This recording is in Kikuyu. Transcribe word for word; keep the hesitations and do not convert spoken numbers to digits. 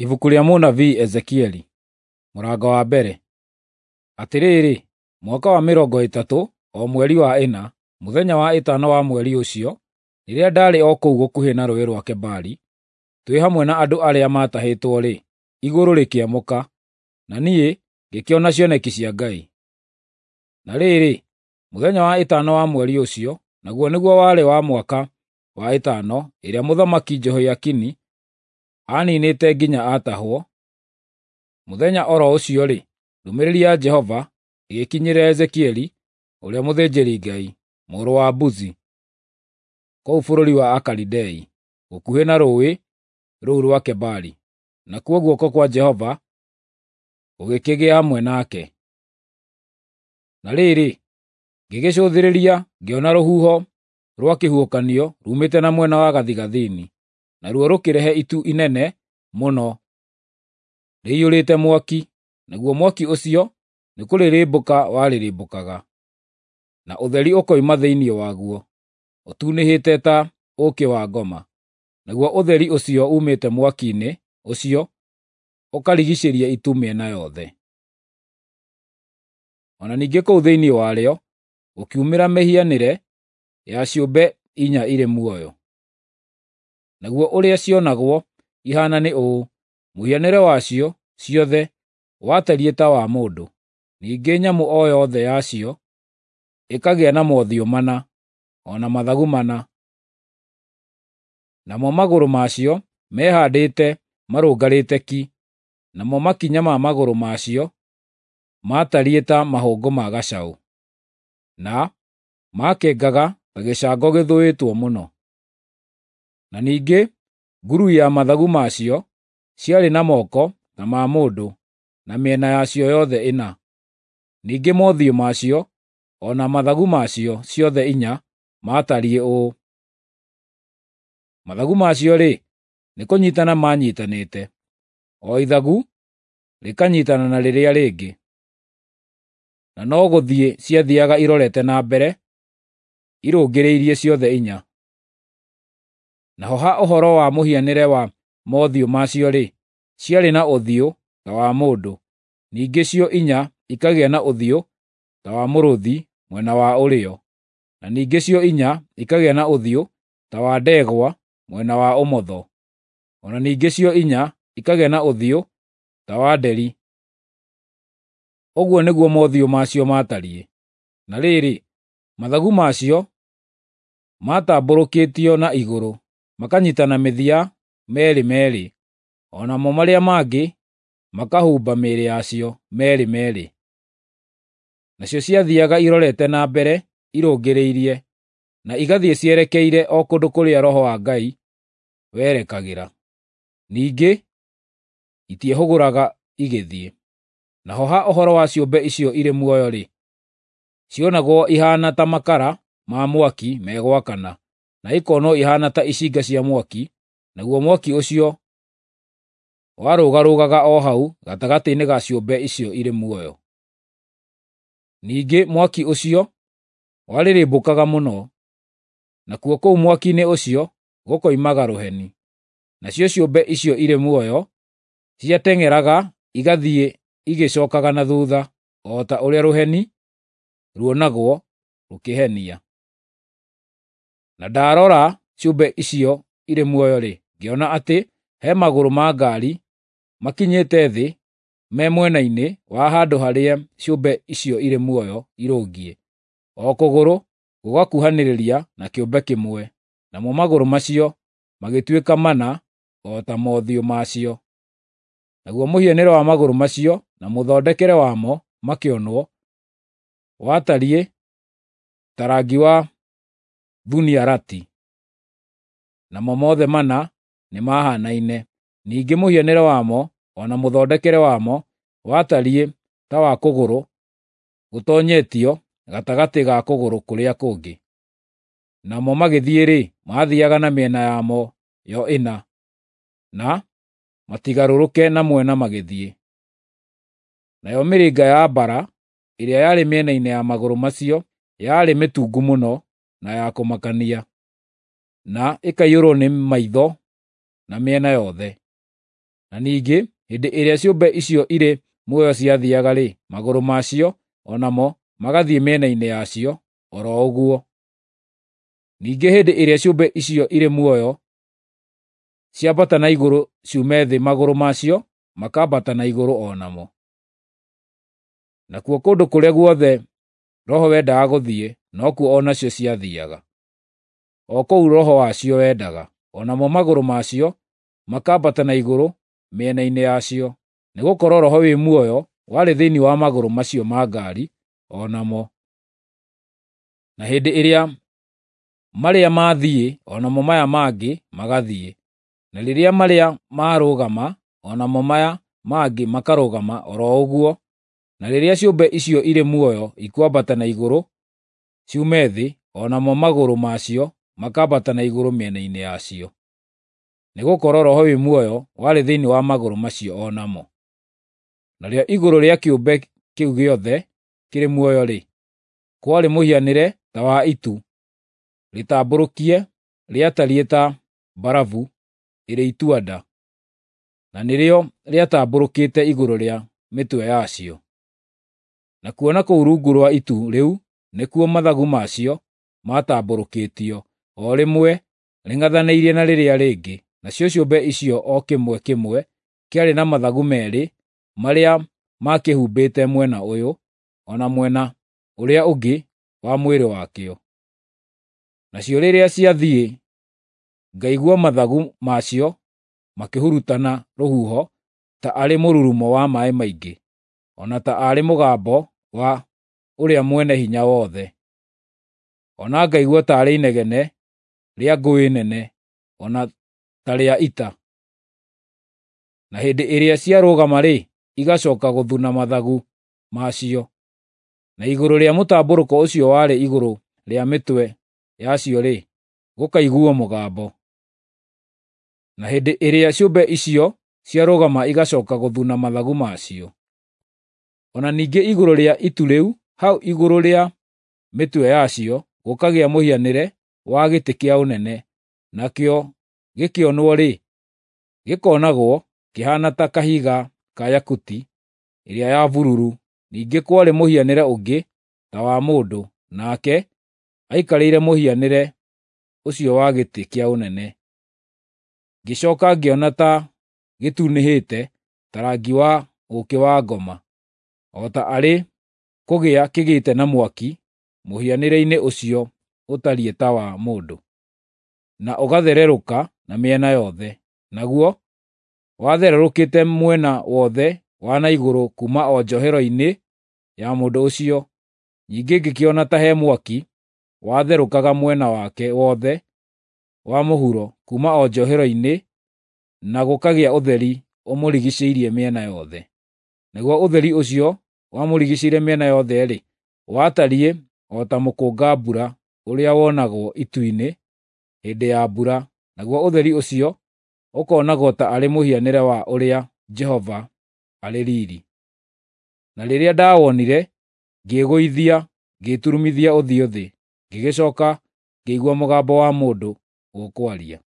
Ibuku rĩa mũnabii Ezekieli, mũrango wa mbere. Atĩrĩrĩ, mwaka wa mĩrongo ĩtatũ, o mweri wa ĩna, mũthenya wa ĩtano wa mweri ũcio, rĩrĩa ndaarĩ o kũu gũkuhĩ na Rũũĩ rwa Kebari, twĩ hamwe na andũ arĩa maatahĩtwo-rĩ, igũrũ rĩkĩamũka, na niĩ ngĩkĩona cioneki cia Ngai. Na rĩrĩ, mũthenya wa ĩtano wa mweri ũcio, naguo nĩguo warĩ wa mwaka wa ĩtano ĩrĩa Mũthamaki Jehoiakini aniinĩte nginya aatahwo, mũthenya o ro ũcio-rĩ, ndũmĩrĩri ya Jehova ĩgĩkinyĩra Ezekieli ũrĩa mũthĩnjĩri-Ngai, mũrũ wa Buzi, kũu bũrũri wa Akalidei, gũkuhĩ na rũũĩ rũu rwa Kebari, nakuo guoko kwa Jehova gũgĩkĩgĩa hamwe nake. Na rĩrĩ, ngĩgĩcũthĩrĩria ngĩona rũhuho rwa kĩhuhũkanio ruumĩte na mwena wa gathigathini, naruo rũkĩrehe itu inene mũno rĩiyũrĩte mwaki, naguo mwaki ũcio nĩkũrĩrĩmbũka warĩrĩmbũkaga, na ũtheri ũkoima thĩinĩ waguo, ũtunĩhĩte ta ũũkĩ wa ngoma. Naguo ũtheri ũcio uumĩte mwaki-inĩ ũcio ũkarigiicĩria itu mĩena yothe. O na ningĩ kũu thĩinĩ warĩo gũkiumĩra mĩhianĩre ya ciũmbe inya irĩ muoyo. Naguo ũrĩa cionagwo ihaana nĩ ũũ: mũhianĩre wacio ciothe watariĩ ta wa mũndũ, ningĩ nyamũ o yothe yacio ĩkagĩa na mothiũ mana, o na mathagu mana. Namo magũrũ macio mehaandĩte marũngarĩte ki, namo makinya ma magũrũ macio maatariĩ ta mahũngũ ma gacaũ, na maakengaga ta gĩcango gĩthũĩtwo mũno. Na ningĩ ngurui ya mathagu macio ciarĩ na moko ta ma mũndũ na mĩena yacio yothe ĩna. Ningĩ mothiũ macio o na mathagu macio ciothe inya maatariĩ ũũ: mathagu macio-rĩ, nĩkũnyiitana maanyiitanĩte, o ithagu rĩkanyiitana na rĩrĩa rĩngĩ, na no gũthiĩ ciathiiaga irorete na mbere irũngĩrĩirie ciothe inya. Naho ha ũhoro wa mũhianĩre wa mothiũ macio-rĩ, ciarĩ na ũthiũ ta wa mũndũ, ningĩ cio inya ikagĩa na ũthiũ ta wa mũrũũthi mwena wa ũrĩo, na ningĩ cio inya ikagĩa na ũthiũ ta wa ndegwa mwena wa ũmotho, o na ningĩ cio inya ikagĩa na ũthiũ ta wa nderi. Ũguo nĩguo mothiũ macio maatariĩ. Na rĩrĩ, mathagu macio maatambũrũkĩtio na igũrũ, makanyiitana mĩthia meerĩ meerĩ, o namo marĩa mangĩ makahumba mĩĩrĩ yacio meerĩ meerĩ. Nacio ciathiiaga irorete na mbere irũngĩrĩirie, na igathiĩ cierekeire o kũndũ kũrĩa Roho wa Ngai werekagĩra. Ningĩ itiehũgũraga igĩthiĩ. Naho ha ũhoro wa ciũmbe icio irĩ muoyo-rĩ, cionagwo ihaana ta makara ma mwaki megwakana, na ikonwo ihaana ta icinga cia mwaki, naguo mwaki ũcio warũgarũgaga o hau gatagatĩ-inĩ ga ciũmbe icio irĩ muoyo. Ningĩ mwaki ũcio warĩrĩmbũkaga mũno, nakuo kũu mwaki-inĩ ũcio gũkoimaga rũheni. Nacio ciũmbe icio irĩ muoyo ciateng'eraga igathiĩ igĩcookaga na thuutha, o ta ũrĩa rũheni ruonagwo rũkĩhenia. Na ndaarora ciũmbe icio irĩ muoyo-rĩ, ngĩona atĩ he magũrũ ma ngaari makinyĩte thĩ me mwena-inĩ wa handũ harĩa ciũmbe icio irĩ muoyo irũngiĩ, o kũgũrũ gũgakuhanĩrĩria na kĩũmbe kĩmwe, namo magũrũ macio magĩtuĩka mana o ta mothiũ macio. Naguo mũhianĩre wa magũrũ macio na mũthondekere wamo makĩonwo watariĩ ta rangi wa thuniarati, namo mothe mana nĩmahaanaine. Ningĩ mũhianĩre wamo o na mũthondekere wamo watariĩ ta wa kũgũrũ gũtoonyetio gatagatĩ ga kũgũrũ kũrĩa kũngĩ. Namo magĩthiĩ-rĩ, maathiiaga na mĩena yamo yo ĩna, na matigarũrũke na mwena magĩthiĩ. Nayo mĩrĩnga ya mbara ĩrĩa yarĩ mĩena-inĩ ya magũrũ macio yarĩ mĩtungu mũno na ya kũmakania, na ĩkaiyũrwo nĩ maitho na mĩena yothe. Na ningĩ hĩndĩ ĩrĩa ciũmbe icio irĩ muoyo ciathiiaga-rĩ, magũrũ macio o namo magathiĩ mĩena-inĩ yacio o ro ũguo. Ningĩ hĩndĩ ĩrĩa ciũmbe icio irĩ muoyo ciambata na igũrũ ciume thĩ, magũrũ macio makambata na igũrũ o namo. Nakuo kũndũ kũrĩa guothe roho wendaga gũthiĩ, nokuo o nacio ciathiiaga, o kũu roho wacio wendaga, o namo magũrũ macio makambata na igũrũ mĩena-inĩ yacio, nĩgũkorwo roho wĩ muoyo warĩ thĩinĩ wa magũrũ macio ma ngaari o namo. Na hĩndĩ ĩrĩa marĩa maathiĩ, o namo maya mangĩ magathiĩ, na rĩrĩa marĩa maarũgama, o namo maya mangĩ makarũgama o ro ũguo. Na rĩrĩa ciũmbe icio irĩ muoyo ikwambata na igũrũ ciume thĩ, o namo magũrũ macio makambata na igũrũ mĩena-inĩ yacio, nĩgũkorwo roho wĩ muoyo warĩ thĩinĩ wa magũrũ macio o namo. Narĩo igũrũ rĩa kĩũmbe kĩu gĩothe kĩrĩ muoyo-rĩ, kwarĩ mũhianĩre ta wa itu rĩtambũrũkie, rĩatariĩ ta mbarabu ĩrĩ itua-nda, na nĩrĩo rĩatambũrũkĩte igũrũ rĩa mĩtwe yacio. Nakuo na kũu rungu rwa itu rĩu nĩkuo mathagu macio maatambũrũkĩtio, o rĩmwe rĩng'ethanĩirie na rĩrĩa rĩngĩ, nacio ciũmbe icio o kĩmwe kĩmwe kĩarĩ na mathagu meerĩ marĩa maakĩhumbĩte mwena ũyũ o na mwena ũrĩa ũngĩ wa mwĩrĩ wakĩo. Nacio rĩrĩa ciathiĩ, ngaigua mathagu macio makĩhurutana rũhuho ta arĩ mũrurumo wa maaĩ maingĩ, o na ta arĩ mũgambo wa ũrĩa Mwene-Hinya-Wothe. O na ngaigua taarĩ inegene rĩa ngũĩ nene, o na ta rĩa ita. Na hĩndĩ ĩrĩa ciarũgama-rĩ, igacooka gũthuna mathagu macio. Na igũrũ rĩa mũtambũrũko ũcio warĩ igũrũ rĩa mĩtwe yacio-rĩ, gũkaiguuo mũgambo. Na hĩndĩ ĩrĩa ciũmbe icio ciarũgama igacooka gũthuna mathagu macio. O na ningĩ igũrũ rĩa itu rĩu, hau igũrũ rĩa mĩtwe yacio, gũkagĩa mũhianĩre wa gĩtĩ kĩa ũnene, nakĩo gĩkĩonwo-rĩ, gĩkoonagwo kĩhaana ta kahiga ka yakuti ĩrĩa ya bururu. Ningĩ kwarĩ mũhianĩre ũngĩ ta wa mũndũ, nake aikarĩire mũhianĩre ũcio wa gĩtĩ kĩa ũnene. Ngĩcooka ngĩona ta gĩtunĩhĩte ta rangi wa ũũkĩ wa ngoma, o ta arĩ kũgĩa kĩgĩte na mwaki mũhianĩre-inĩ ũcio ũtariĩ ta wa mũndũ, na ũgathererũka na mĩena yothe. Naguo wathererũkĩte mwena wothe wa na igũrũ kuuma o njohero-inĩ ya mũndũ ũcio. Ningĩ ngĩkĩona ta he mwaki watherũkaga mwena wake wothe wa mũhuro kuuma o njohero-inĩ, na gũkagĩa ũtheri ũmũrigiicĩirie mĩena yothe. Naguo ũtheri ũcio wamũrigiicĩirie mĩena yothe-rĩ, watariĩ o ta mũkũnga-mbura ũrĩa wonagwo itu-inĩ hĩndĩ ya mbura, naguo ũtheri ũcio ũkoonagwo ta arĩ mũhianĩre wa ũrĩa Jehova arĩ riiri. Na rĩrĩa ndawonire, ngĩĩgũithia, ngĩĩturumithia ũthiũ thĩ, ngĩgĩcooka ngĩigua mũgambo wa mũndũ ũkwaria.